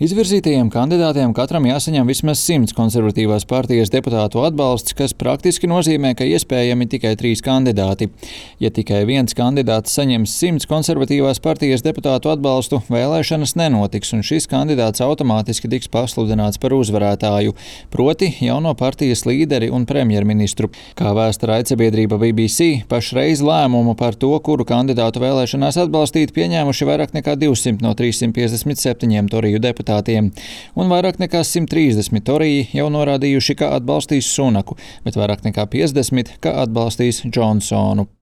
Izvirzītajiem kandidātiem katram jāsaņem vismaz 100 konservatīvās partijas deputātu atbalsts, kas praktiski nozīmē, ka iespējami tikai 3 kandidāti. Ja tikai viens kandidāts saņems 100 konservatīvās partijas deputātu atbalstu, vēlēšanas nenotiks, un šis kandidāts automātiski tiks pasludināts par uzvarētāju, proti jauno partijas līderi un premjerministru. Kā vēsta raidsabiedrība BBC, pašreiz lēmumu par to, kuru kandidātu vēlēšanās atbalstīt, pieņēmuši vairāk nekā 200 no 357 toriju deputātiem. Un vairāk nekā 130 toriji jau norādījuši, ka atbalstīs Sunaku, bet vairāk nekā 50, ka atbalstīs Džonsonu.